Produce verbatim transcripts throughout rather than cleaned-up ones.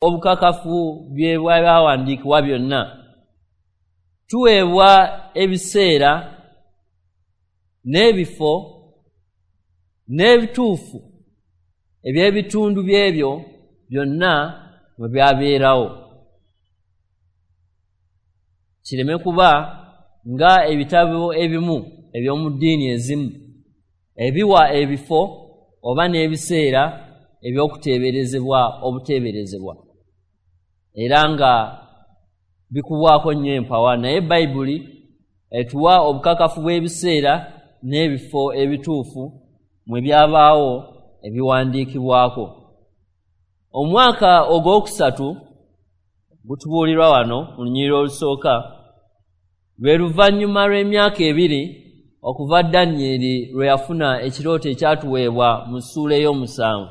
Obukakafu bw'ebyawandiikibwa byonna. Tuweebwa ebiseera n'ebifo n'ebituufu eby'ebitundu by'ebyo byonna mwe byabeerawo, kireme kuba nga ebitabo ebimu eby'omu ddiini ezimu ebiwa ebifo oba n'ebiseera eby'okuteeberezebwa obuteeberezebwa, era nga bikubwako nnyo empawa. Naye Bayibuli etuwa obukakafu bw'ebiseera n'ebifo ebituufu mwe byabaawo ebiwandiikibwako. Omwaka ogwokusatu gutubuulirwa wano mu lunyiriri olusooka, lwe luvannyuma lw'emyaka ebiri okuva Danyeri lwe yafuna ekirooto ekyatuweebwa mu ssuula ey'omusanvu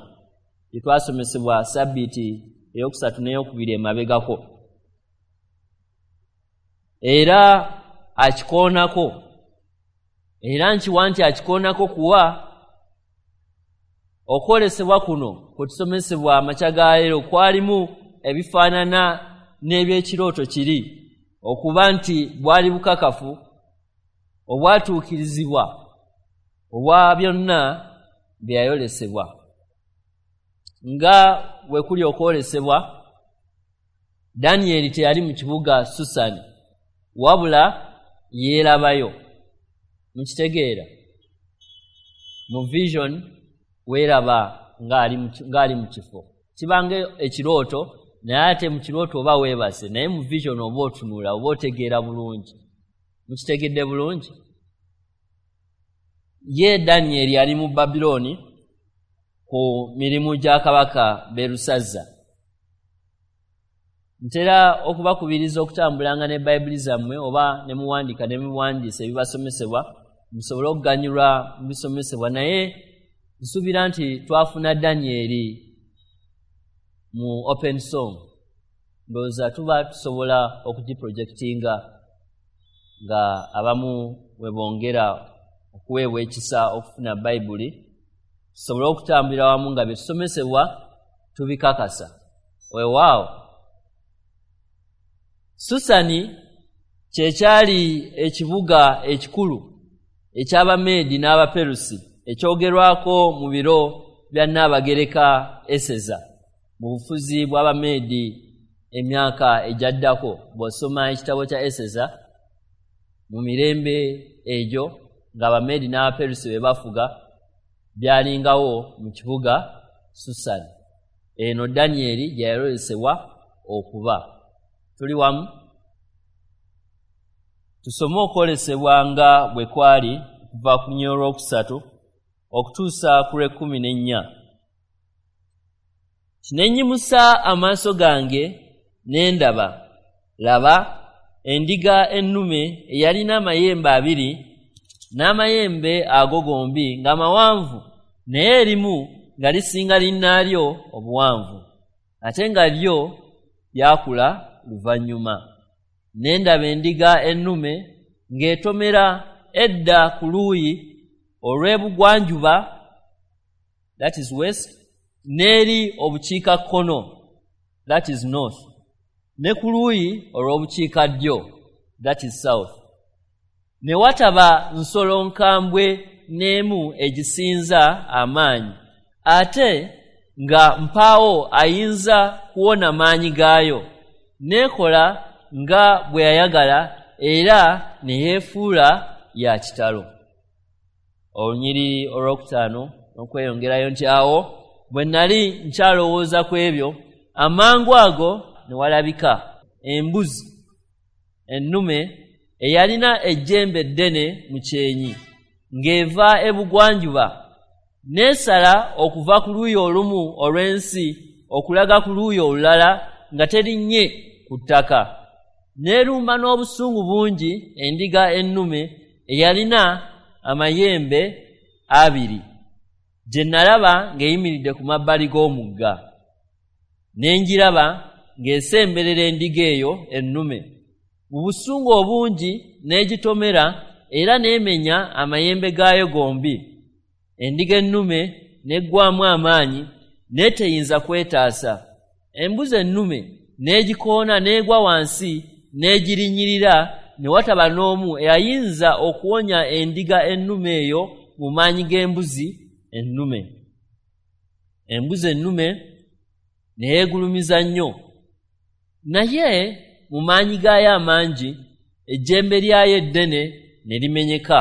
gye twasomesebwa sabbiiti eyokusatu n'eyokubiri emabegako. Era akikoonako, era nkiwa nti akikoonako kuwa okwolesebwa kuno kwe tusomesebwa amakya ga leero kwalimu ebifaanana n'ebyekirooto kiri, okuba nti bwali bukakafu obwatuukirizibwa obwa byonna bye yayolesebwa. Nga bwe kuli okwolesebwa, Danyeri teyali mu kibuga Susani, wabula yeerabayo. Mukitegeera? Mu vision weeraba ng'ali mu kifo, kibanga ekirooto, naye ate mu kirooto oba weebase, naye mu vision oba otunula, oba otegeera bulungi. Mukitegedde bulungi? Ye Danyeri yali mu Babilooni ku mirimu gya kabaka Berusazza. Ntera okubakubiriza okutambulanga ne Bayibuli zammwe oba ne muwandiika ne muwandiisa ebibasomesebwa, musobole okuganyulwa mu bisomesebwa. Naye nsuubira nti twafuna Danyeri mu open song, ndowooza tuba tusobola okugiprojectinga nga abamu we bongera okuweebwa ekisa okufuna Bayibuli, tusobole okutambulira wamu nga bye tusomesebwa tubikakasa. Weewaawo, Susani kye kyali ekibuga ekikulu eky'Abameedi n'Abaperusi ekyogerwako mu biro bya Nnaabagereka Eseza mu bufuzi bw'Abameedi emyaka egyaddako. Bw'osoma ekitabo kya Eseza mu mirembe egyo ng'Abameedi n'Abaperusi be bafuga, byalingawo mu kibuga Susani. Eno Danyeri gye yayolesebwa okuba. Tuli wamu? Tusome okwolesebwa nga bwe kwali okuva ku lunyiriri olwokusatu okutuusa ku lw'ekkumi n'ennya. Ne nnyimusa amaaso gange ne ndaba, laba, endiga ennume eyalina amayembe abiri, n'amayembe ago gombi nga mawanvu, naye erimu nga lisinga linnaalyo obuwanvu, ate nga lyo lyakula luvannyuma. Ne ndaba endiga ennume ng'etomera edda ku luuyi olw'ebugwanjuba, that is west, n'eri obukiikakkono, that is north, ne ku luuyi olw'obukiikaddyo, that is south. Ne wataba nsolo nkambwe n'emu egisinza amaanyi, ate nga mpaawo ayinza kuwona maanyi gaayo. N'ekola nga bwe yayagala era ne yeefuula ya kitalo. Olunyiriri olwokutaano n'okweyongerayo nti, awo bwe nali nkyalowooza ku ebyo, amangu ago ne walabika embuzi ennume eyalina ejjembe eddene mu kyenyi, ng'eva ebugwanjuba, n'esala okuva ku luuyi olumu olw'ensi okulaga ku luuyi olulala nga terinnye ku ttaka. N'erumba n'obusungu bungi endiga ennume eyalina amayembe abiri, gye nalaba ng'eyimiridde ku mabbali g'omugga. Ne ngiraba ng'esemberera endiga eyo ennume. Mu busungu obungi n'egitomera era n'emenya amayembe gaayo gombi. Endiga ennume n'eggwamu amaanyi n'eteyinza kwetaasa. Embuzi ennume n'egikoona n'egwa wansi n'egirinyirira, ne wataba n'omu eyayinza okuwonya endiga ennume eyo mu maanyi g'embuzi ennume. Embuzi ennume ne yeegulumiza nnyo, naye mu maanyi gaayo amangi ejjembe lyayo eddene ne limenyeka.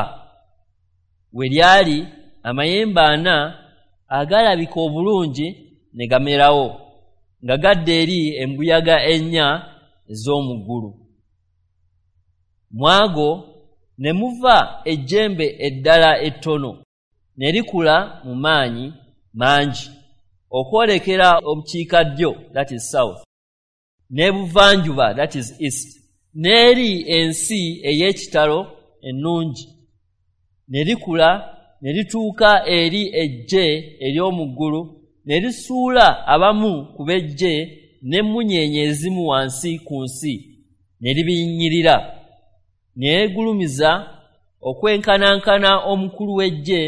We lyali amayembe ana agalabika obulungi ne gamerawo, nga gadda eri embuyaga ennya ez'omu ggulu. Mu ago ne muva ejjembe eddala ettono ne likula mu maanyi mangi okwolekera obukiikaddyo, that is south, n'ebuvanjuba, that is east, n'eri ensi ey'ekitalo ennungi. Ne likula ne lituuka eri eggye ery'omu ggulu, ne lisuula abamu ku b'eggye n'emmunyeenye ezimu wansi ku nsi, ne libinnyirira. Ne yeegulumiza okwenkanankana omukulu w'eggye,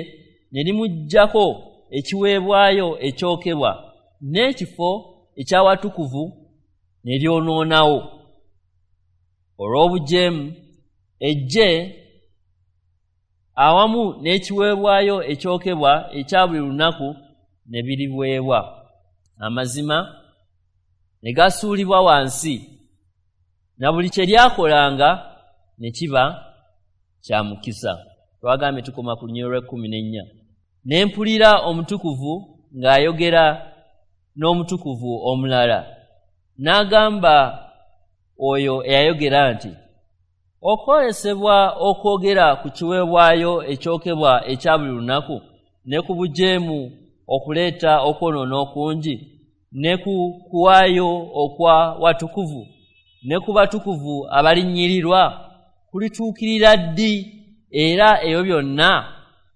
ne limuggyako ekiweebwayo ekyokebwa n'ekifo eky'awatukuvu ne lyonoonawo. Olw'obujeemu eggye awamu n'ekiweebwayo ekyokebwa ekya buli lunaku ne biriweebwa. Amazima ne gasuulibwa wansi, na buli kye lyakolanga ne kiba kya mukisa. Twagambye tukoma ku lunyiriri lw'ekkumi n'ennya. Ne mpulira omutukuvu ng'ayogera n'omutukuvu omulala, n'agamba oyo eyayogera nti, okwolesebwa okwogera ku kiweebwayo ekyokebwa ekya buli lunaku ne ku bujeemu okuleeta okwonoona okungi, ne ku kuwaayo okwa watukuvu ne ku batukuvu abalinnyirirwa kulituukirira ddi, era ebyo byonna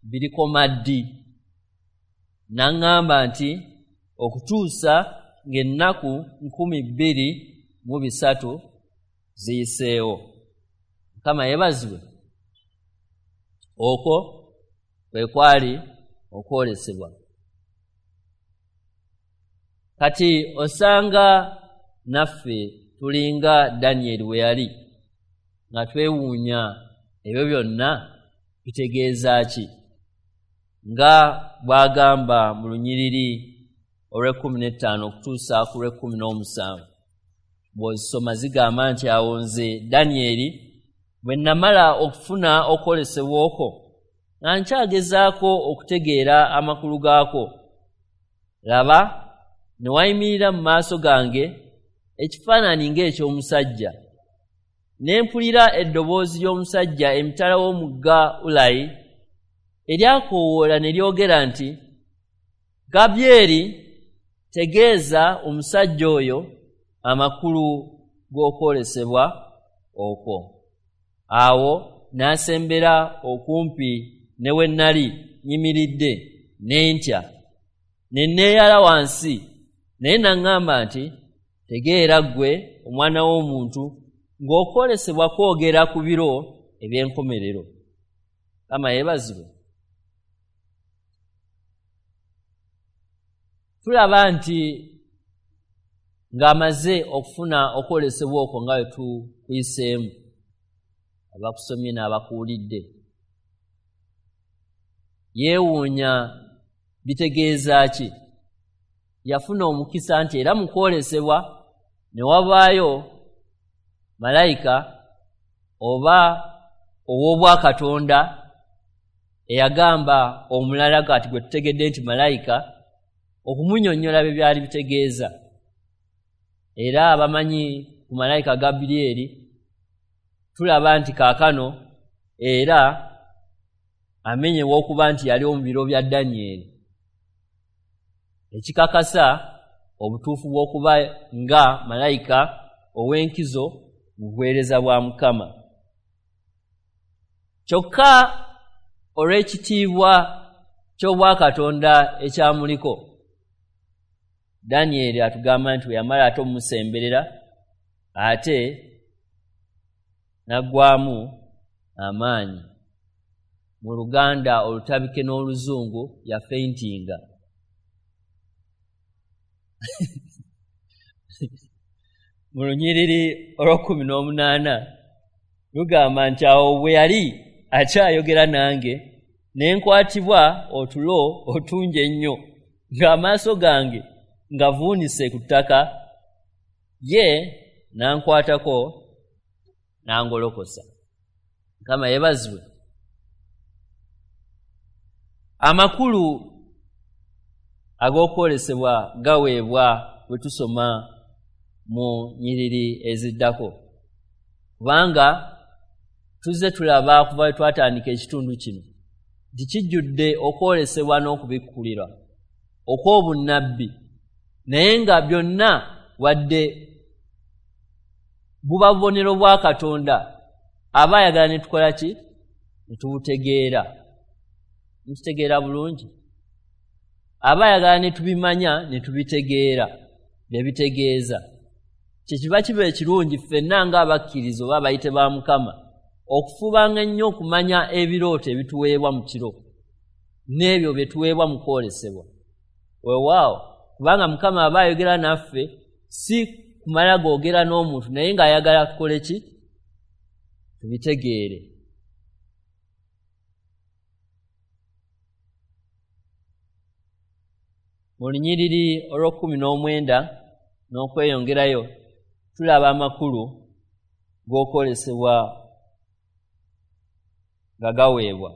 birikoma ddi? N'aŋŋamba nti, okutuusa ng'ennaku nkumi bbiri mu bisatu ziyiseewo. Mukama yeebazibwe. Okwo kwe kwali okwolesebwa. Kati osanga naffe tulinga Danyeri we yali, nga twewuunya ebyo byonna bitegeeza ki, nga bw'agamba mu lunyiriri olw'ekkumi n'ettaano okutuusa ku lw'ekkumi n'omusanvu. Bw'ozisoma zigamba nti, awo nze Danyeri bwe namala okufuna okwolesebwa okwo, nga nkyagezaako okutegeera amakulu gaakwo, laba ne wayimirira mu maaso gange ekifaananyi ng'eky'omusajja. Ne mpulira eddoboozi ly'omusajja emitala w'omugga Ulayi eryakoowoola ne lyogera nti, Gabyeri, tegeeza omusajja oyo amakulu g'okwolesebwa okwo. Awo n'asembera okumpi ne we nnali nnyimiridde, ne ntya, ne neeyala wansi. Naye n'aŋŋamba nti, tegeera ggwe omwana w'omuntu, ng'okwolesebwa kwogera ku biro eby'enkomerero. Mukama yeebazibwe. Tulaba nti ng'amaze okufuna okwolesebwa okwo nga bwe tukuyiseemu, abakusomye n'abakuwulidde, yeewuunya bitegeeza ki. Yafuna omukisa nti era mu kwolesebwa ne wabaayo malayika oba ow'obwakatonda eyagamba omulala kati gwe tutegedde nti malayika okumunnyonnyola bye byali bitegeeza. Era abamanyi ku malayika Gabulyeri tulaba nti kaakano era amenyewa okuba nti yali mu biro bya Danyeri, ekikakasa obutuufu bw'okuba nga malayika ow'enkizo mu buweereza bwa Mukama. Kyokka olw'ekitiibwa ky'obwakatonda ekyamuliko, Danyeri atugamba nti bwe yamala ate omusemberera ate n'aggwamu amaanyi. Mu Luganda olutabike n'Oluzungu yafeintinga. Mu lunyiriri olw'ekkumi n'omunaana lugamba nti awo bwe yali akyayogera nange ne nkwatibwa otulo otungi ennyo, ng'amaaso gange ngavuunise ku ttaka, ye n'ankwatako n'angolokosa. Mukama yeebazibwe. Amakulu ag'okwolesebwa gaweebwa bwe tusoma mu nyiriri eziddako, kubanga tuzze tulaba okuva bwe twatandika ekitundu kino nti kijjudde okwolesebwa n'okubikkulirwa okw'obunnabbi, naye nga byonna wadde buba bubonero bwa Katonda aba ayagala ne tukola ki? Ne tubutegeera. Mukitegeera bulungi? Aba ayagala ne tubimanya ne tubitegeera bye bitegeeza. Kyekiva kiba ekirungi ffenna ng'abakkiriza oba abayite ba Mukama okufubanga ennyo okumanya ebirooto ebituweebwa mu kiro n'ebyo bye tuweebwa mu kwolesebwa. Weewaawo, kubanga Mukama aba ayogera naffe si kumala googera n'omuntu, naye ng'ayagala tukole ki? Tubitegeere. Mu lunyiriri olw'ekkumi n'omwenda n'okweyongerayo tulaba amakulu g'okwolesebwa nga gaweebwa.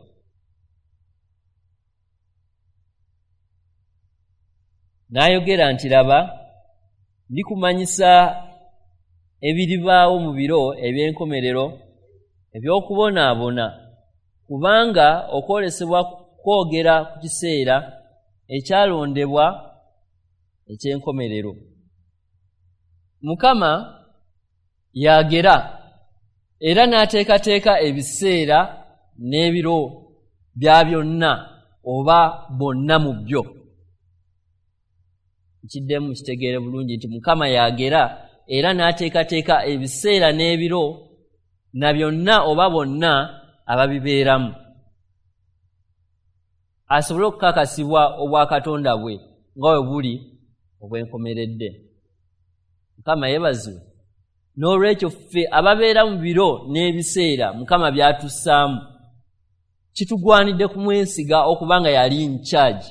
N'ayogera nti laba, ndikumanyisa ebiribaawo mu biro eby'enkomerero eby'okubonaabona, kubanga okwolesebwa kwogera ku kiseera ekyalondebwa eky'enkomerero. Mukama yagera era n'ateekateeka ebiseera n'ebiro bya byonna oba bonna mu byo. Nkiddemu kitegeere bulungi nti Mukama yagera era n'ateekateeka ebiseera n'ebiro na byonna oba bonna ababibeeramu, asobole okukakasibwa obwakatonda bwe nga bwe buli obwenkomeredde. Mukama yeebazibwe. N'olwekyo ffe ababeera mu biro n'ebiseera Mukama by'atussaamu, kitugwanidde kumwesiga okubanga yali in charge,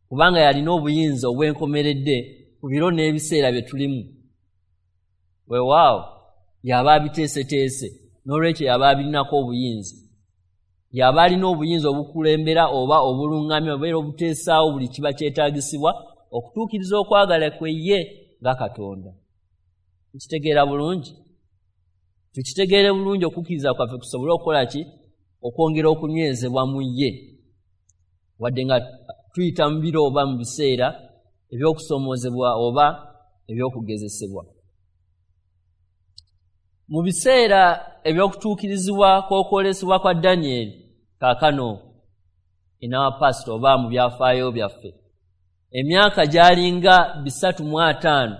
kubanga yalina obuyinza obwenkomeredde ku biro n'ebiseera bye tulimu. Weewaawo, y'aba abiteeseteese, n'olwekyo y'aba abirinako obuyinza. Y'aba alina obuyinza obukulembera oba obulungamya oba obuteesaawo buli kiba kyetaagisibwa okutuukiriza okwagala kwe ye nga Katonda. Tukitegeera bulungi? Tukitegeere bulungi okukkiriza kwaffe kusobole okukola ki? Okwongera okunywezebwa mu ye, wadde nga tuyita mu biro oba mu biseera eby'okusoomoozebwa oba eby'okugezesebwa. Mu biseera eby'okutuukirizibwa kw'okwolesebwa kwa Danyeri kaakano in our past oba mu byafaayo byaffe, emyaka gy'alinga bisatu mu ataano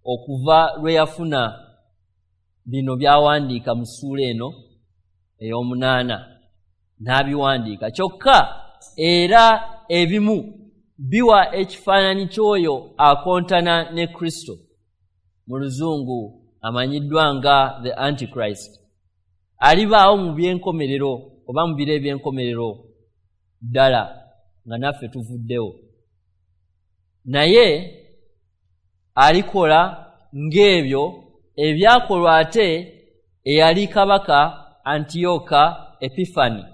okuva lwe yafuna bino by'awandiika mu ssuula eno ey'omunaana n'abiwandiika. Kyokka era ebimu biwa ekifaananyi ky'oyo akontana ne Kristo, mu Luzungu amanyiddwa nga the Antichrist, alibaawo mu by'enkomerero oba mu biro eby'enkomerero ddala nga naffe tuvuddewo, naye alikola ng'ebyo ebyakolwa ate eyali kabaka Antiyoka Epifani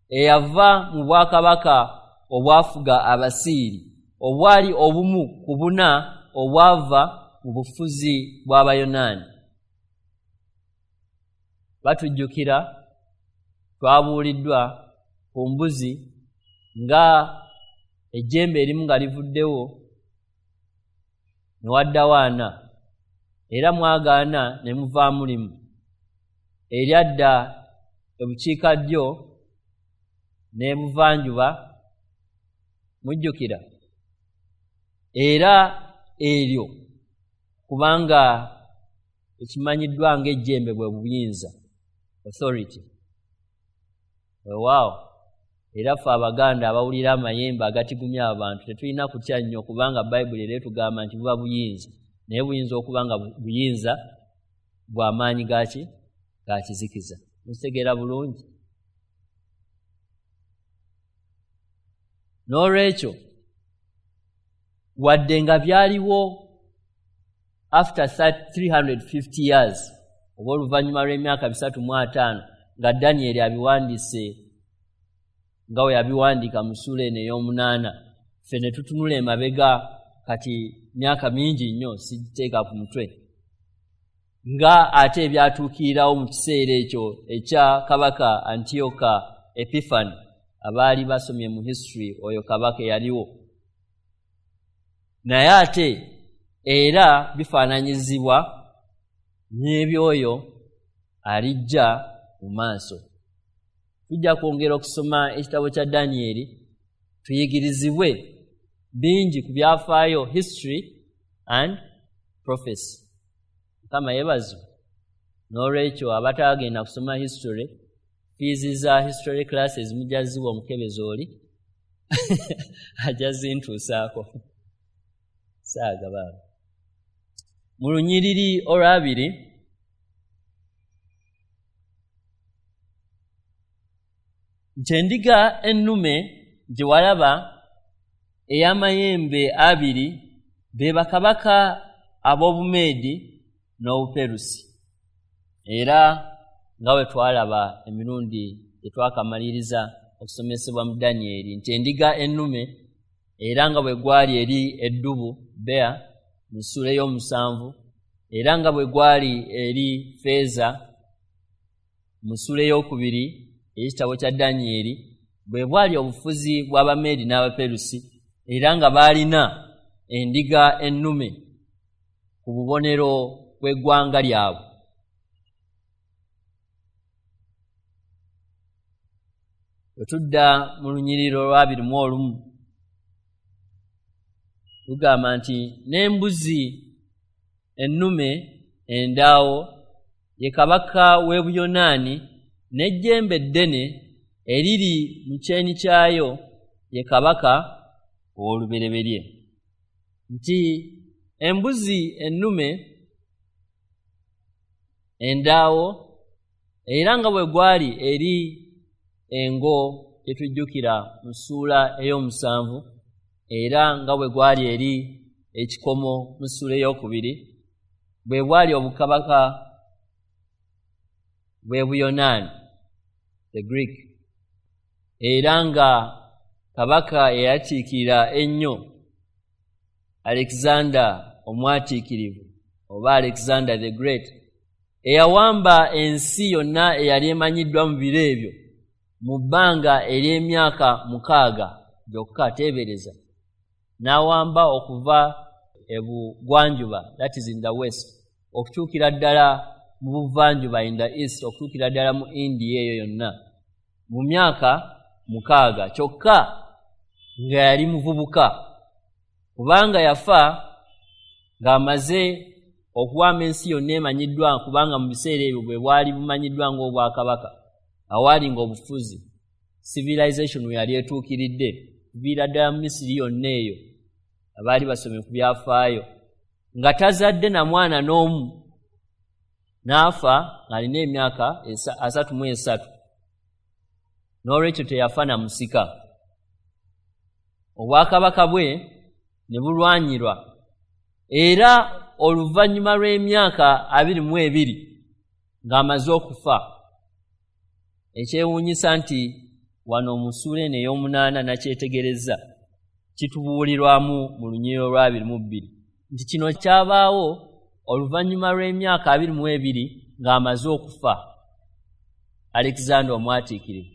eyava mu bwakabaka obwafuga Abasiiri obwali obumu ku buna obwava mu bufuzi bw'Abayonaani. Batujjukira twabuuliddwa ku mbuzi nga ejjembe erimu nga livuddewo ne waddawo ana, era mwagaana ne muvaamu limu eryadda ebukiikaddyo n'ebuvanjuba. Mujjukira era eryo kubanga ekimanyiddwa ng'ejjembe bwe buyinza, authority. Weewaawo, era ffe Abaganda abawulira amayembe agatigumya abantu tetulina kutya nnyo, kubanga Bayibuli era etugamba nti buba buyinza. naye buyinza okuba nga buyinza bw'amaanyi gaki ga kizikiza. Mukitegeera bulungi? N'olwekyo wadde nga byaliwo after three hundred fifty years, oba oluvannyuma lw'emyaka bisatu mu ataano nga Danyeri abiwandiise nga we yabiwandiika mu ssuula eno ey'omunaana, ffe ne tutunula emabega kati myaka mingi nnyo sigiteeka ku mutwe, nga ate ebyatuukirirawo mu kiseera ekyo ekya kabaka Antiyoka Epifani, abaali basomye mu history oyo kabaka eyaliwo. Naye ate era bifaananyizibwa n'ebyoyo alijja mu maaso. Tujja kwongera okusoma ekitabo kya Danyeri tuyigirizibwe bingi ku byafaayo, history and prophecy. Mukama yeebazibwe. N'olwekyo abatagenda kusoma history, fiizi za history classes mujja ziwa omukebezi oli ajja zintuusaako saaga baaba. Mu lunyiriri olwabiri nti endiga ennume gye walaba ey'amayembe abiri be bakabaka ab'Obumeedi n'Obuperusi. Era nga bwe twalaba emirundi gye twakamaliriza okusomesebwa mu Danyeri nti endiga ennume era nga bwe gwali eri eddubu bea mu ssuula ey'omusanvu, era nga bwe gwali eri feeza mu ssuula ey'okubiri ey'ekitabo kya Danyeri, bwe bwali obufuzi bw'Abameedi n'Abaperusi, era nga baalina endiga ennume ku bubonero bw'eggwanga lyabwe. Bwe tudda mu lunyiriri olw'abiri mu olumu lugamba nti n'embuzi ennume endaawo ye kabaka w'e Buyonaani, n'ejjembe eddene eriri mu kyenyi kyayo ye kabaka ow'olubereberye. Nti embuzi ennume endaawo era nga bwe gwali eri engo gyetujjukira mu ssuula ey'omusanvu, era nga bwe gwali eri ekikomo mu ssuula ey'okubiri, bwe bwali obukabaka bw'e Buyonaani, the Greek, era nga kabaka eyatiikirira ennyo Alexander omwatiikirivu oba Alexander the Great, eyawamba ensi yonna eyali emanyiddwa mu biro ebyo mu bbanga ery'emyaka mukaaga gyokka. Teebereza, n'awamba okuva ebugwanjuba, that is in the west, okutuukira ddala mu buvanjuba, in the east, okutuukira ddala mu India eyo yonna mu myaka mukaaga kyokka, nga yali muvubuka, kubanga yafa ng'amaze okuwamba ensi yonna emanyiddwa, kubanga mu biseera ebyo bwe bwali bumanyiddwa ng'obwakabaka awaali ng'obufuzi, civilization we yali etuukiridde kuviira ddala mu Misiri yonna eyo abaali basomye ku byafaayo, nga tazadde na mwana n'omu, n'afa ng'alina emyaka asatu mu esatu. N'olwekyo teyafa na musika. Obwakabaka bwe ne bulwanyirwa, era oluvannyuma lw'emyaka abiri mu ebiri ng'amaze okufa. Ekyewuunyisa nti wano mu ssuula eno ey'omunaana nakyetegereza kitubuulirwamu mu lunyiriri olw'abiri mu bbiri nti kino kyabaawo oluvannyuma lw'emyaka abiri mu ebiri ng'amaze okufa Alexander omwatiikirivu.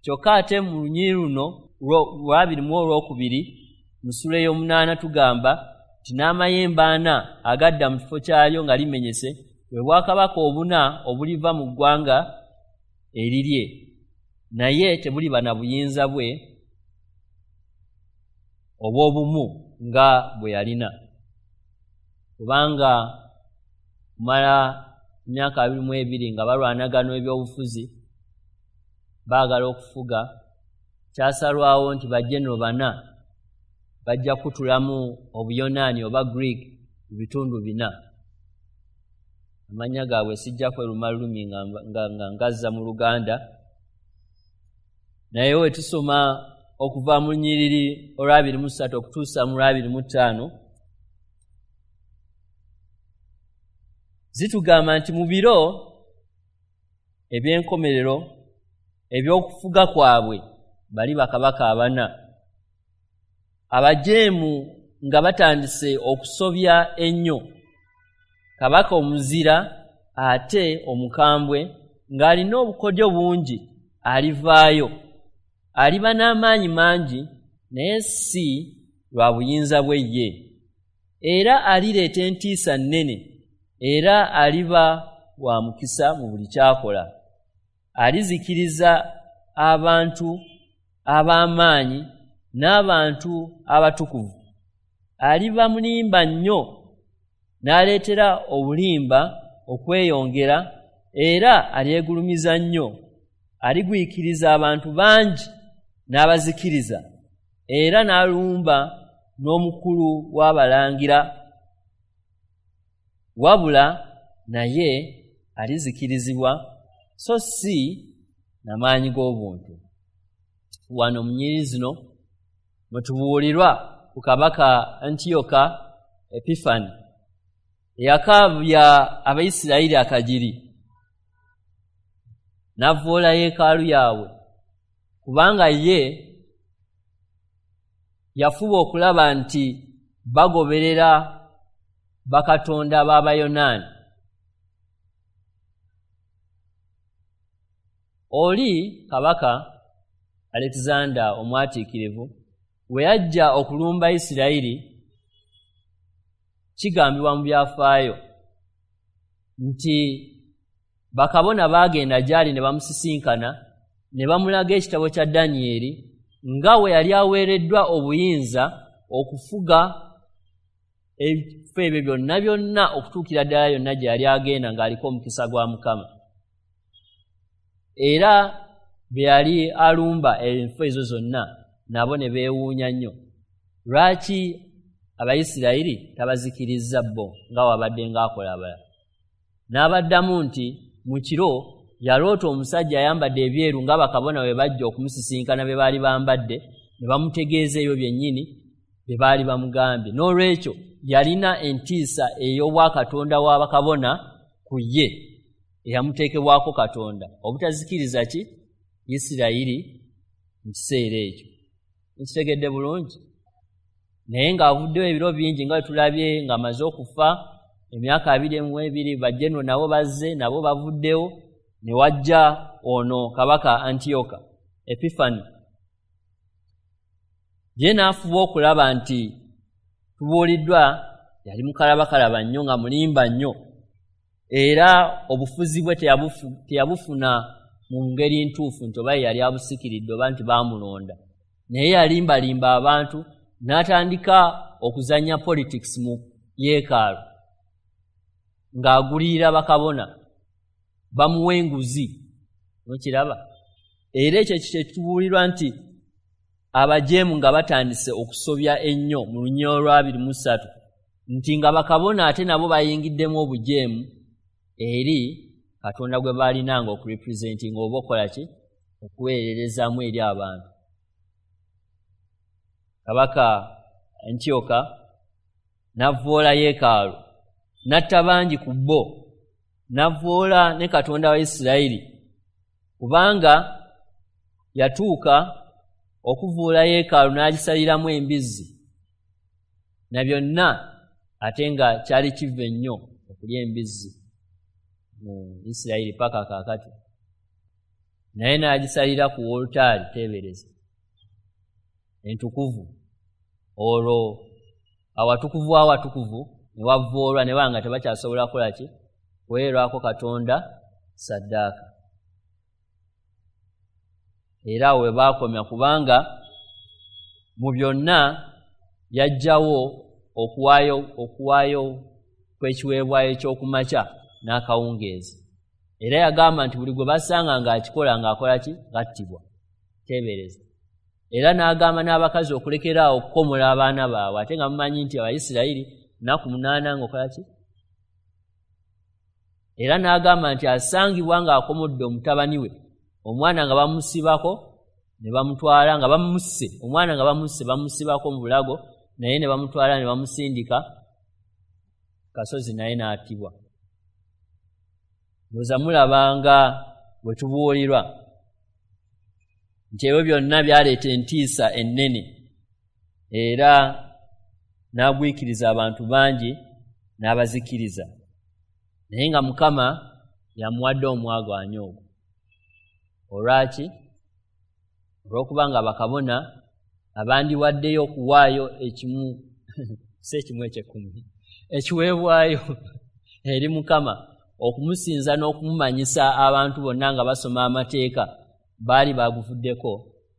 Kyokka ate mu lunyiriri luno lw'abiri mu olwokubiri mu ssuula ey'omunaana tugamba nti n'amayembe ana agadda mu kifo kyalyo nga limenyese bwe bwakabaka obuna obuliva mu ggwanga erirye, naye tebuliba na buyinza bwe obw'obumu nga bwe yalina, kubanga kumala emyaka abiri mu ebiri nga balwanagana ebyobufuzi baagala okufuga, kyasalwawo nti bajenero bana bajja kutulamu Obuyonaani oba Greek mu bitundu bina. Amannya gaabwe sijja kweruma lulumi nga, nga, nga ngazza mu Luganda, naye we tusoma okuva mu lunyiriri olw'abiri mu ssatu okutuusa mu lw'abiri mu ttaano, zitugamba nti mu biro eby'enkomerero eby'okufuga kwabwe bali bakabaka abana abajeemu nga batandise okusobya ennyo, kabaka omuzira ate omukambwe ng'alina obukodyo bungi alivaayo, aliba n'amaanyi mangi naye si lwa buyinza bwe ye, era alireeta entiisa nnene, era aliba wa mukisa mu buli ky'akola. Alizikiriza abantu ab'amaanyi n'abantu abatukuvu. Aliba mulimba nnyo n'aleetera obulimba okweyongera, era alyegulumiza nnyo. Aligwikiriza abantu bangi n'abazikiriza, era n'alumba n'omukulu w'abalangira, wabula naye alizikirizibwa so si n'amaanyi g'obuntu. Wano mu nnyiriri zino mwe tubuulirwa ku kabaka Antiyoka Epifani eyakaabya Abayisirayiri akagiri n'avvoola yeekaalu yaabwe, kubanga ye yafuba okulaba nti bagoberera bakatonda b'Abayonaani. Oli kabaka Alexander omwatiikirivu we yajja okulumba Isirayiri, kigambibwa mu byafaayo nti bakabona baagenda gy'ali ne bamusisinkana ne bamulaga ekitabo kya Danyeri nga we yali aweereddwa obuyinza okufuga ebifo ebyo byonna byonna okutuukira ddala yonna gye yali agenda ng'aliko omukisa gwa Mukama. Era bwe yali alumba enfo ezo zonna nabo ne beewuunya nnyo, lwaki Abayisirayiri tabazikirizza bo nga wabadde ng'akola abalala. N'abaddamu nti mu kiro yaloota omusajja ayambadde ebyeru nga bakabona bwe bajja okumusisinkana be baali bambadde, ne bamutegeeza ebyo byennyini bye baali bamugambye. N'olwekyo yalina entiisa ey'obwakatonda wa bakabona ku ye eyamuteekebwako Katonda obutazikiriza ki Isirayiri mu kiseera ekyo. Nkitegedde bulungi? Naye ng'avuddewo ebiro bingi nga bwe tulabye ng'amaze okufa emyaka abiri mu ebiri, bajjeno nabo bazze nabo bavuddewo, ne wajja ono kabaka Antiyoka Epifani. Ye n'afuba okulaba nti tubuuliddwa yali mukalabakalaba nnyo nga mulimba nnyo, era obufuzi bwe teyabufuna mu ngeri ntuufu nti oba ye yali abusikiridde oba nti baamulonda, naye yalimbalimba abantu n'atandika okuzannya politics mu yeekaalu ng'agulirira bakabona bamuwa enguzi. Mukiraba? Era ekyo kye tubuulirwa nti abajeemu nga batandise okusobya ennyo mu lunyiriri olw'abiri mu ssatu, nti nga bakabona ate nabo bayingiddemu obujeemu eri Katonda gwe baalinanga okurepresentinga oba okukola ki, okuweererezaamu eri abantu. Kabaka Antiyoka n'avvoola yeekaalu, n'atta bangi ku bo, n'avvoola ne Katonda wa Isirayiri, kubanga yatuuka okuvuula yeekaalu n'agisaliramu embizzi na byonna, ate nga kyali kiva ennyo okulya embizzi mu Isirayiri paka kaakati, naye n'agisalira ku wolutaali teebereza entukuvu. Olwo awatukuvu awatukuvu ne wavvoolwa ne banga tebakyasobola kukola ki, kuweerwako Katonda ssaddaaka. Era awo we baakomya, kubanga mu byonna yajjawo okuwaayo okuwaayo kw'ekiweebwayo eky'okumakya n'akawungeezi. Era yagamba nti buli gwe basanga ng'akikola ng'akola ki, ng'attibwa. Teebereza. Era n'agamba n'abakazi okulekeraawo okukomola abaana baabwe, ate nga mumanyi nti Abayisirayiri nnaku munaana ng'okola ki? Era n'agamba nti asangibwa ng'akomodde omutabani we, omwana nga bamusibako ne bamutwala nga bamusse, omwana nga bamusse bamusibako mu bulago, naye ne bamutwala ne bamusindika kasozi naye n'atibwa. Ndowooza mulabanga bwe tubuulirwa nti ebyo byonna byaleeta entiisa ennene, era n'agwikiriza abantu bangi n'abazikiriza, naye nga Mukama yamuwadde omwagaanya ogwo. Olwaki? Olw'okubanga bakabona abandiwaddeyo okuwaayo ekimu si ekimu eky'ekkumi ekiweebwayo eri Mukama okumusinza n'okumumanyisa abantu bonna nga basoma amateeka, baali baguvuddeko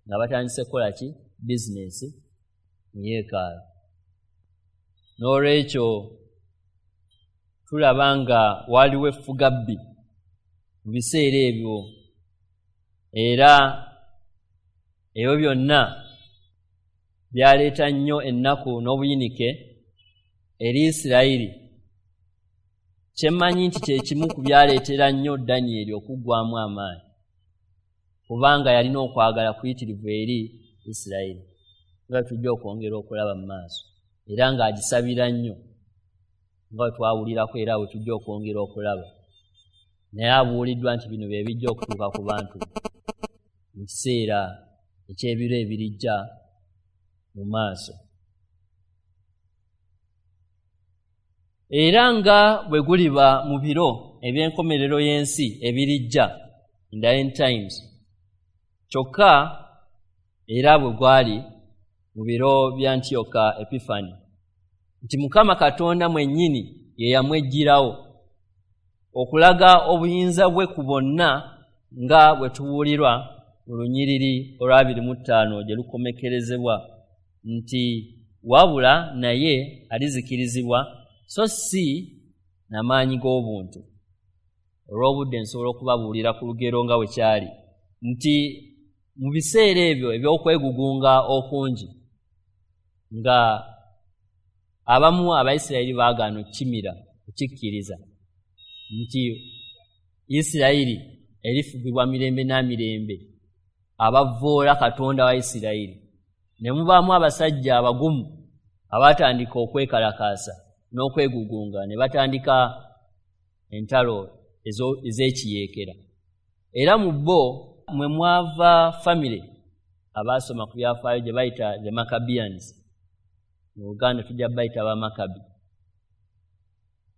nga batandise kukola ki? Bizinensi mu yeekaalu. N'olwekyo tulaba nga waliwo effugabbi mu biseera ebyo, era ebyo byonna byaleeta nnyo ennaku n'obuyinike eri Isirayiri. Kyemmanyi nti kye kimu ku byaleetera nnyo Danyeri okuggwamu amaanyi, kubanga yalina okwagala kuyitirivu eri Isirayiri, nga tujja okwongera okulaba mu maaso, era ng'agisabira nnyo nga bwe twawulirako, era bwe tujja okwongera okulaba. Naye abuuliddwa nti bino bye bijja okutuuka ku bantu mu kiseera eky'ebiro ebirijja mu maaso. Era nga bwe guliba mu biro eby'enkomerero y'ensi ebirijja, in the end times, kyokka era bwe gwali mu biro bya Antiyoka Epifani, nti Mukama Katonda mwennyini ye yamwejjirawo okulaga obuyinza bwe ku bonna, nga bwe tubuulirwa mu lunyiriri olw'abiri mu ttaano gye lukomekerezebwa nti wabula naye alizikirizibwa so si n'amaanyi g'obuntu. Olw'obudde nsobola okubabuulira ku lugero nga bwe kyali nti mu biseera ebyo eby'okwegugunga okungi, nga abamu Abayisirayiri baagaana okukimira, okukikkiriza nti Isirayiri erifugibwa mirembe na mirembe, abavvoola Katonda wa Isirayiri. Ne mubaamu abasajja abagumu abaatandika okwekalakaasa n'okwegugunga, ne batandika entalo ez'ekiyeekera. Era mu bo mwe mwava famire abaasoma ku byafaayo gye bayita the Maccabeans, mu Luganda tujja bayita Abamakabi,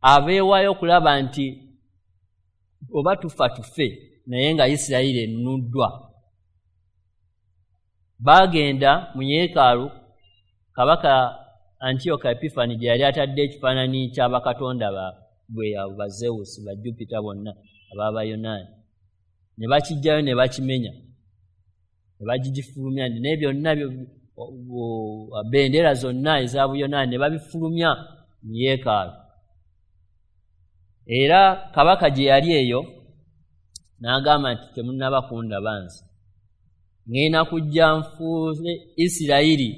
abeewaayo okulaba nti oba tufa tufe, naye nga Isirayiri enunuddwa. Baagenda mu yeekaalu kabaka Antiyoka Epifani gye yali atadde ekifaananyi ky'abakatonda baabwe abo ba Zeus, ba Jupiter bonna ab'Abayonaani, ne bakiggyayo ne bakimenya, ne bagigifulumya, ne byonna bendera zonna eza Buyonaani ne babifulumya mu yeekaalu. Era kabaka gye yali eyo n'agamba nti temunnaba kundaba nze, ŋŋenda kujja nfuule Isirayiri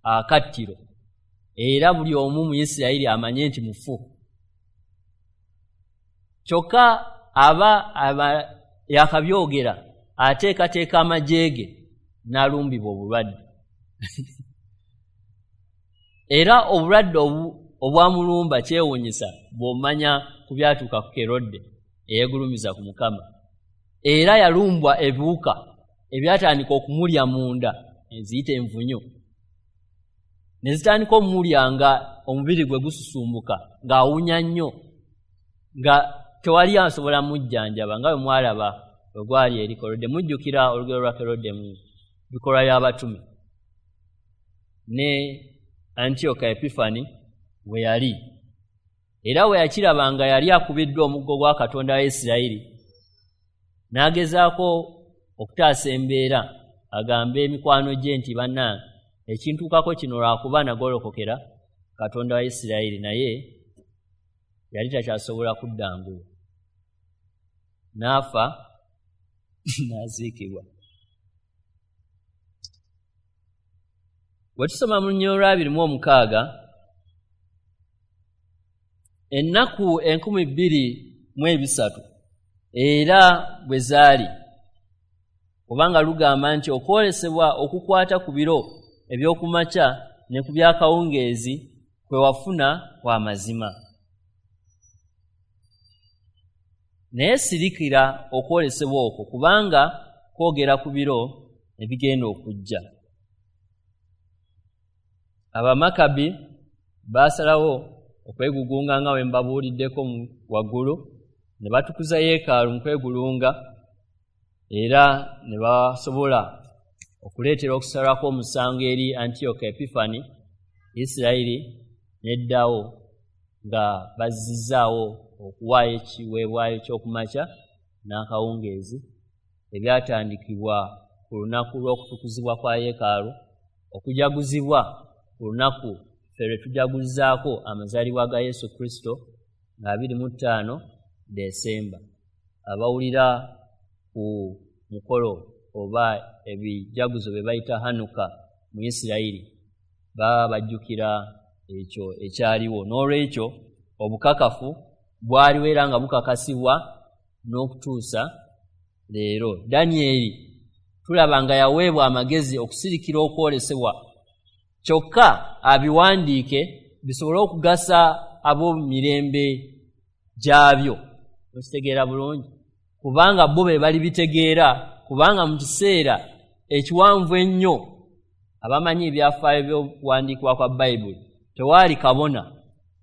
akattiro, era buli omu mu Isirayiri amanye nti mufu. Kyokka aba aba yakabyogera ateekateeka amagye ge n'alumbibwa obulwadde. Era obulwadde obwamulumba kyewuunyisa bw'omanya ku byatuuka ku Kerode eyeegulumiza ku Mukama. Era yalumbwa ebiwuka ebyatandika okumulya munda, eziyita envunyu, ne zitandika omulya nga omubiri gwe gususumbuka, ng'awunya nnyo, nga tewali asobola mujjanjaba, nga bwe mwalaba bwe gwali eri Kerode. Mujjukira olugero lwa Kerode mu bikolwa by'abatume ne Antiyoka Epifani we yali. Era we yakiraba nga yali akubiddwa omuggo gwa Katonda wa Isirayiri, n'agezaako okutaasa embeera, agambe emikwano gye nti bannange ekintuukako kino lwakuba nagolokokera Katonda wa Isirayiri, naye yali takyasobola kudda ngulu, n'afa n'aziikibwa. Bwe tusoma mu lunyiriri olw'abiri mu omukaaga Ennaku enkumi bbiri mu ebisatu era bwe zaali, kubanga lugamba nti okwolesebwa okukwata ku biro eby'okumakya ne ku byakawungeezi kwe wafuna kwa mazima. Naye sirikira okwolesebwa okwo, kubanga kwogera ku biro ebigenda okujja. Abamakabi baasalawo okwegugunga nga bwe mbabuuliddeko waggulu, ne batukuza yeekaalu mu kwegulunga, era ne basobola okuleetera okusalwako omusango eri Antiyoka Epifani. Isirayiri n'eddawo nga bazzizaawo okuwaayo ekiweebwayo ky'okumakya n'akawungeezi ebyatandikibwa ku lunaku lw'okutukuzibwa kwa yeekaalu, okujaguzibwa ku lunaku ffe lwe tujaguzaako amazaalibwa ga Yesu Kristo nga abiri mu ttaano Desemba. Abawulira ku mukolo oba ebijaguzo bye bayita Hanuka mu Isirayiri baba bajjukira ekyo ekyaliwo. N'olwekyo obukakafu bwaliwo era nga bukakasibwa n'okutuusa leero. Danyeri tulaba nga yaweebwa amagezi okusirikira okwolesebwa, kyokka abiwandiike bisobole okugasa ab'omumirembe gyabyo. Okitegeera bulungi, kubanga bo be balibitegeera, kubanga mu kiseera ekiwanvu ennyo abamanyi ebyafaayo by'okuwandiikibwa kwa Bayibuli tewaali kabona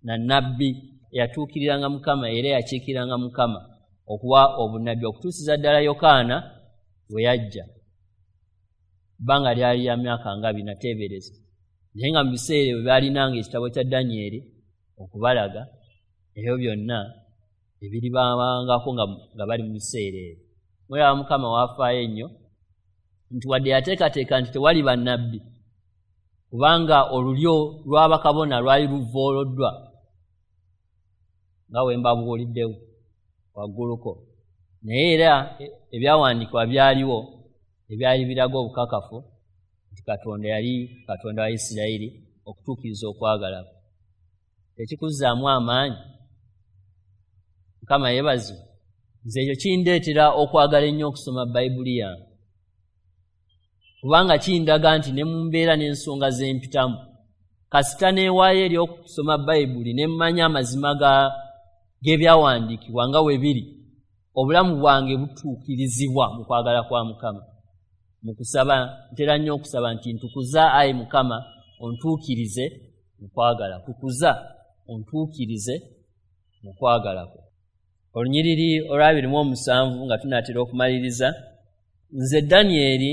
na nnabbi eyatuukiriranga Mukama era eyakiikiranga Mukama okuwa obunnabbi okutuusiza ddala Yokaana we yajja. Bbanga lyali lya myaka nga bina teebereza, naye nga mu biseera ebyo baalinanga ekitabo kya Danyeri okubalaga ebyo byonna ebiribabangako nga bali mu biseera ebyo. Mulaba Mukama waafaayo ennyo nti wadde yateekateeka nti tewali bannabbi, kubanga olulyo lw'abakabona lwali luvooloddwa nga bwe mbabuuliddewo wagguluko, naye era ebyawandiikibwa byaliwo ebyali biraga obukakafu nti Katonda yali Katonda wa Isirayiri okutuukiriza okwagala kwe. Tekikuzzaamu amaanyi? Mukama yeebazibwe. Nze ekyo kindeetera okwagala ennyo okusoma Bayibuli yange, kubanga kindaga nti ne mu mbeera n'ensonga ze mpitamu, kasita neewaayo eri okusoma Bayibuli ne mmanya amazima g'ebyawandiikibwa nga we biri, obulamu bwange butuukirizibwa mu kwagala kwa Mukama. Mu kusaba ntera nnyo okusaba nti ntukuza ayi Mukama ontuukirize mu kwagala, tukuza ontuukirize mu kwagala kwo. Olunyiriri olw'abiri mu omusanvu nga tunaatera okumaliriza, nze Danyeri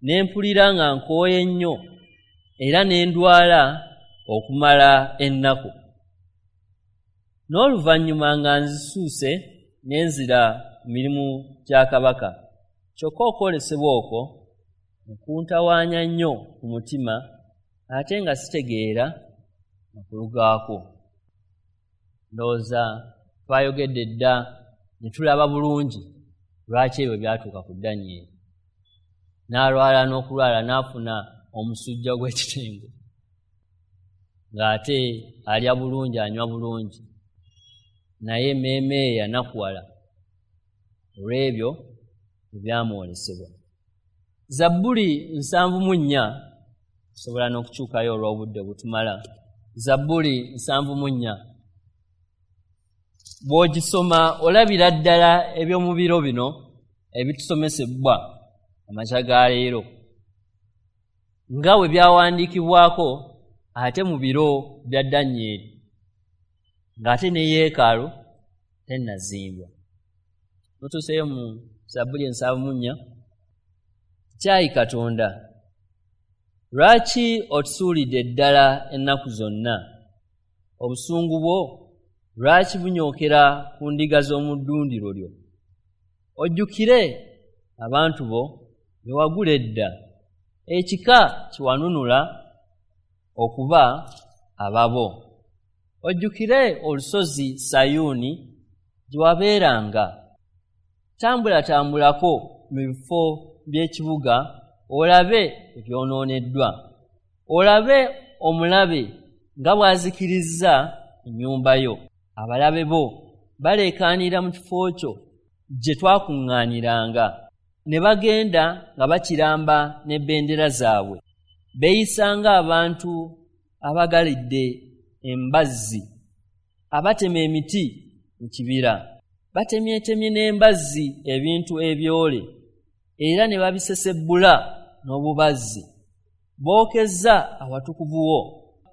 ne mpulira nga nkooye nnyo era ne ndwala okumala ennaku. N'oluvannyuma nga nzisuuse ne nzira mu mirimu gya kabaka, kyokka okwolesebwa okwo kuntawaanya nnyo ku mutima ate nga sitegeera makulu gaakwo. Ndowooza twayogedde dda ne tulaba bulungi lwaki ebyo byatuuka ku Danyeri. N'alwala n'okulwala n'afuna omusujja gw'ekitengo, ng'ate alya bulungi anywa bulungi, naye emmeeme ye yanakuwala olw'ebyo ebyamwolesebwa. Zabbuli nsanvu mu nnya, tusobola n'okukyukayo olw'obudde butumala. Zabbuli nsanvu mu nnya bw'ogisoma olabira ddala eby'omu biro bino ebitusomesebwa amakya ga leero nga bwe byawandiikibwako ate mu biro bya Danyeri, ng'ate ne yeekaalu tennazimbwa. Mutuuseyo mu Zabbuli ensanvu mu nnya. Kyayi Katonda, lwaki otusuulidde ddala ennaku zonna? Obusungu bwo lwaki bunyookera ku ndiga z'omu ddundiro lyo? Ojjukire abantu bo be wagula edda, ekika kiwanunula okuba ababo. Ojjukire olusozi Sayuuni gye wabeeranga. Tambulatambulako mu bifo by'ekibuga olabe ebyonooneddwa, olabe omulabe nga bw'azikirizza ennyumba yo. Abalabe bo baleekaanira mu kifo kyo gye twakuŋŋaaniranga, ne bagenda nga bakiramba n'ebendera zaabwe. Beeyisa ng'abantu abagalidde embazzi, abatema emiti mu kibira. Batemyetemye n'embazzi ebintu ebyole, era ne babisesebbula n'obubazzi. Bookezza awatukuvu wo,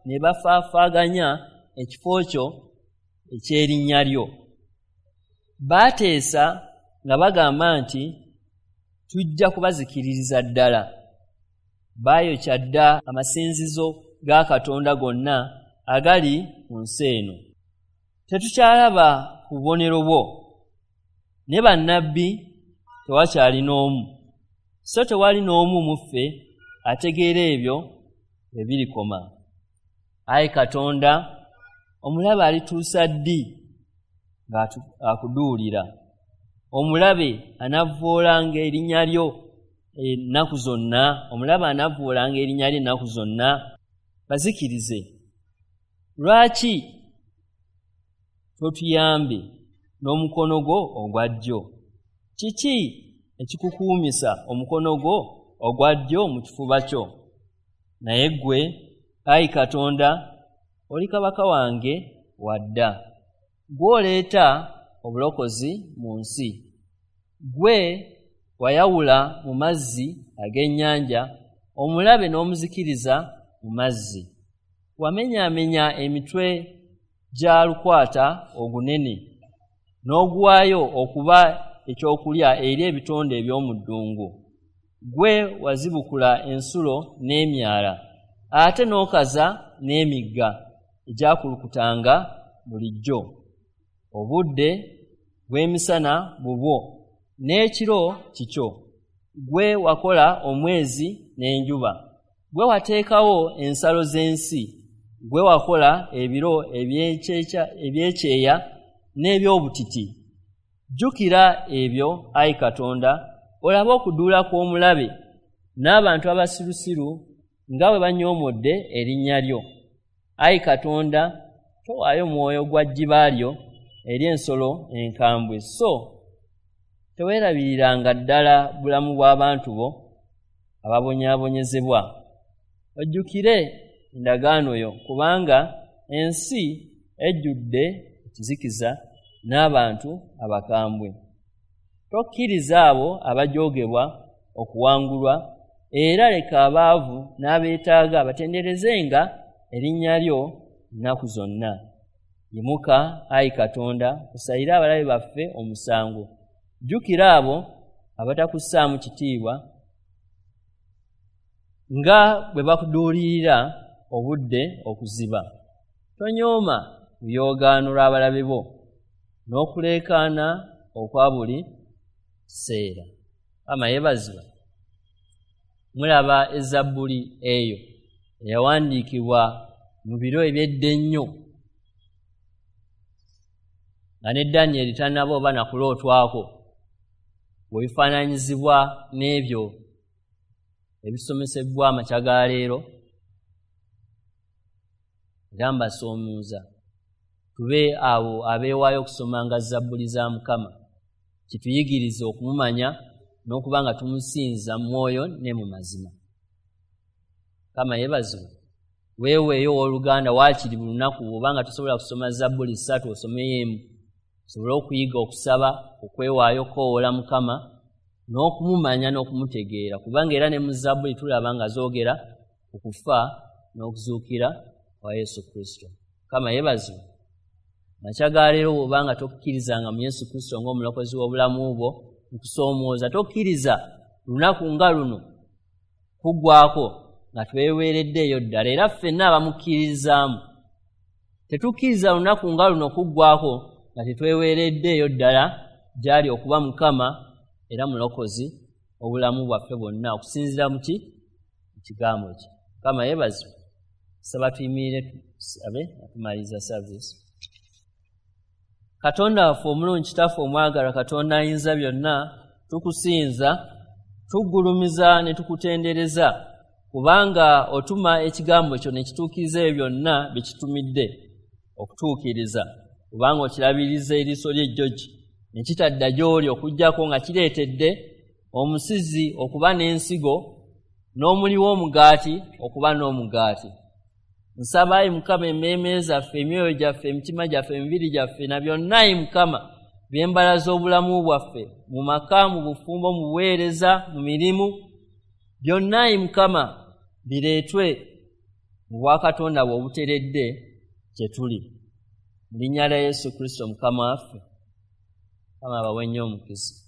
ne bafaafaaganya ekifo kyo eky'erinnya lyo. Baateesa nga bagamba nti, tujja kubazikiririza ddala. Baayokya dda amasinzizo ga Katonda gonna agali ku nsi eno. Tetukyalaba ku bubonero bwo, ne bannabbi tewakyali n'omu, so tewali n'omu mu ffe ategeera ebyo bwe birikoma. Ayi Katonda, omulabe alituusa ddi ng'akuduulira? Omulabe anavvoolanga erinnya lyo ennaku zonna? Omulabe anavvoolanga erinnya lyo ennaku zonna? Bazikirize. Lwaki totuyambe n'omukono gwo ogwa ddyo? Kiki ekikukuumisa omukono gwo ogwa ddyo mu kifuba kyo? Naye ggwe, ayi Katonda, oli kabaka wange wadda. Gw'oleeta obulokozi mu nsi. Ggwe wayawula mu mazzi ag'ennyanja, omulabe n'omuzikiriza mu mazzi. Wamenyaamenya emitwe gya lukwata ogunene, n'oguwaayo okuba ekyokulya eri ebitonde eby'omu ddungu. Ggwe wazibukula ensulo n'emyala, ate n'okaza n'emigga egyakulukutanga bulijjo. Obudde bw'emisana bubwo, n'ekiro kikyo. Ggwe wakola omwezi n'enjuba. Ggwe wateekawo ensalo z'ensi. Ggwe wakola ebiro eby'ekyeya n'eby'obutiti. Jjukira ebyo, ayi Katonda, olabe okuduula kw'omulabe n'abantu abasirusiru nga bwe banyoomodde erinnya lyo. Ayi Katonda, towaayo mwoyo gwa jjiba lyo eri ensolo enkambwe, so teweerabiriranga ddala bulamu bw'abantu bo ababonyaabonyezebwa. Ojjukire endagaano yo, kubanga ensi ejjudde ekizikiza n'abantu abakambwe. Tokkiriza abo abajoogebwa okuwangulwa, era leka abaavu n'abeetaaga batenderezenga erinnya lyo ennaku zonna. Yimuka, ayi Katonda, osalire abalabe baffe omusango. Jjukira abo abatakussaamu kitiibwa nga bwe bakuduulirira obudde okuziba. Tonyooma luyoogaano lw'abalabe bo n'okuleekaana okwa buli kiseera. Mukama yeebazibwe. Mulaba ezabbuli eyo eyawandiikibwa mu biro eby'edda ennyo, nga ne Danyeri tannaba oba nakulootwako, bwe bifaananyizibwa n'ebyo ebisomesebwa amakya ga leero. Era mbasoomuuza tube abo abeewaayo okusomanga zabbuli za Mukama, kituyigirize okumumanya n'okuba nga tumusinza mu mwoyo ne mu mazima. Mukama yeebazibwe. Weeweeyo owooluganda waakiri buli lunaku, obanga tosobola kusoma zabbuli ssatu osomeyo emu, osobole okuyiga okusaba, okwewaayo okukowoola Mukama n'okumumanya n'okumutegeera, kubanga era ne mu zabbuli tulaba nga zoogera ku kufa n'okuzuukira kwa Yesu Kristo. Mukama yeebazibwe. Makya ga leero bw'obanga tokkirizanga mu Yesu Kristo ng'omulokozi w'obulamu bwo, nkusoomooza tokkiriza lunaku nga luno kuggwako nga tweweereddeeyo ddala. Era ffenna abamukkiririzaamu tetukkiriza lunaku nga luno kuggwako nga tetweweereddeeyo ddala gy'ali okuba Mukama era mulokozi obulamu bwaffe bwonna, okusinziira mu ki? Mu kigambo kye. Mukama yeebazibwe. Saba tuyimirire tusabe nga tumaliriza service. Katonda waffe omulungi, Kitaffe omwagalwa, Katonda ayinza byonna, tukusinza, tuggulumiza ne tukutendereza, kubanga otuma ekigambo kyo ne kituukiriza ebyo byonna bye kitumidde okutuukiriza. Kubanga okirabiriza eriiso ly'ejjogi ne kitadda gy'oli, okuggyako nga kireetedde omusizi okuba n'ensigo n'omuli w'omugaati okuba n'omugaati. Nsaba ayi Mukama emmeeme zaffe, emyoyo gyaffe, emitima gyaffe, emibiri gyaffe na byonna ayi Mukama by'embala z'obulamu bwaffe mu maka, mu bufumbo, mu buweereza, mu mirimu, byonna ayi Mukama bireetwe mu bwakatonda bwe obuteredde gye tuli. Mu linnya lya Yesu Kristo Mukama waffe. Mukama abawe nnyo omukisa.